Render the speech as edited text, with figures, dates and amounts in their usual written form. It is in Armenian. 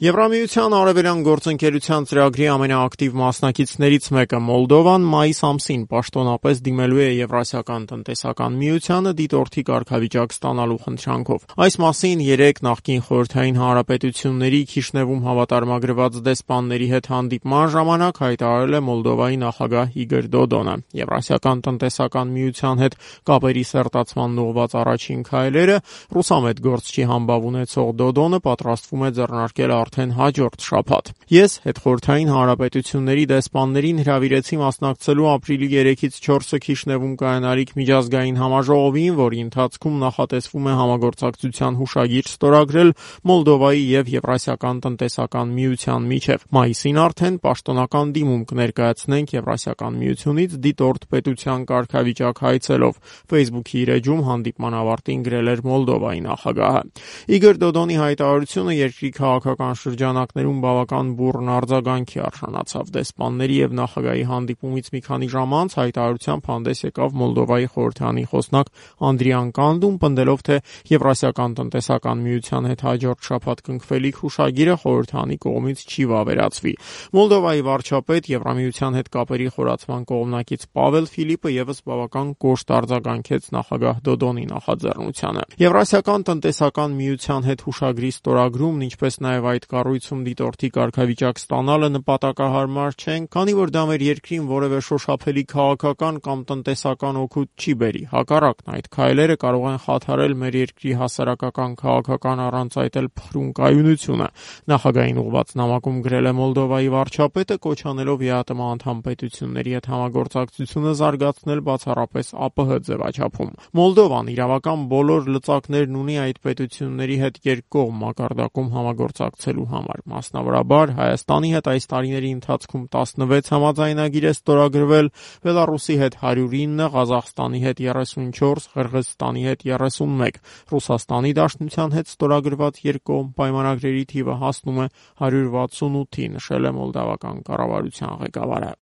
Եվրամիության արևելյան գործընկերության ծրագրի ամենաակտիվ մասնակիցներից մեկը Մոլդովան մայիս ամսին պաշտոնապես դիմելու է Եվրասիական տնտեսական միությանը դիտորդի կարգավիճակ ստանալու խնդրանքով։ Այս մասին երեկ նախկին խորհրդային հանրապետությունների Քիշնևում հավատարմագրված դեսպանների հետ հանդիպման ժամանակ հայտարարել է Մոլդովայի նախագահ Իգոր Դոդոնը։ Եվրասիական տնտեսական միության հետ կապերի սերտացման ուղղված առաջին քայլերը ռուսամետ գործչի համբավ ունեցող Դոդոնը պատրաստվում է ձեռնարկել արդեն հաջորդ շաբաթ։ Ես հետխորհրդային հանրապետությունների դեսպաններին հրավիրեցի մասնակցելու ապրիլի 3-ից 4-ը Քիշնևում կայանալիք միջազգային համաժողովին, որի ընթացքում նախատեսվում է համագործակցության հուշագիր ստորագրել Մոլդովայի եւ Եվրասիական տնտեսական միության միջև։ Մայիսին արդեն պաշտոնական դիմում կներկայացնենք Եվրասիական միությունից դիտորդ պետության կարգավիճակ հայցելով։ Facebook-ի իր էջում հանդիպման ավարտին գրել էր Մոլդովայի նախագահը։ Իգոր Դոդոնի հայտարարությունը երկրի քաղաքական շրջանակներում բավական բուռն արձագանքի արժանացավ։ Դեսպանների եւ նախագահի հանդիպումից մի քանի ժամ անց հայտարարությամբ հանդես եկավ Մոլդովայի խորհրդանի խոսնակ Անդրիան Կանդուն, պնդելով, թե Եվրասիական տնտեսական միության հետ հաջորդ շաբաթ կնքվելիք հուշագիրը խորհրդանի կողմից չի վավերացվի։ Մոլդովայի վարչապետ Եվրամիության հետ կապերի խորացման կողմնակից Պավել Ֆիլիպը եւս բավական կոշտ արձագանքեց նախագահ Դոդոնի նախաձեռնությանը։ Եվրասիական տնտեսական միության հետ հուշագրի ստորագրումն, ինչպես նաև այդ կառույցում դիտորդի կարգավիճակ ստանալը նպատակահարմար չեն, քանի որ դա մեր երկրին որևէ շոշափելի քաղաքական կամ տնտեսական օգուտ չի բերի։ Հակառակն, այդ քայլերը կարող են խաթարել մեր երկրի հասարակական քաղաքական առանց այդ էլ փխրուն կայունությունը։ Նախագահային ուղղված նամակում գրել է Մոլդովայի վարչապետը, կոչ անելով ԵԱՏՄ անդամ պետությունների հետ համագործակցությունը զարգացնել բացառապես ԱՊՀ ձևաչափում։ Մոլդովան իրավական բոլոր լծակներն ունի այդ պետությունների հետ երկկողմ մակարդակում համագործակցելու համար։ Մասնավորաբար, Հայաստանի հետ այս տարիների ընթացքում 16 համաձայնագիր է ստորագրվել, Բելառուսի հետ 109, Ղազախստանի հետ 34, Ղրղըզստանի հետ 31, Ռուսաստանի Դաշնության հետ ստորագրված երկկողմ պայմանագրերի թիվը հասնում է 168-ի, նշել է մոլդավական կառավարության ղեկավարը։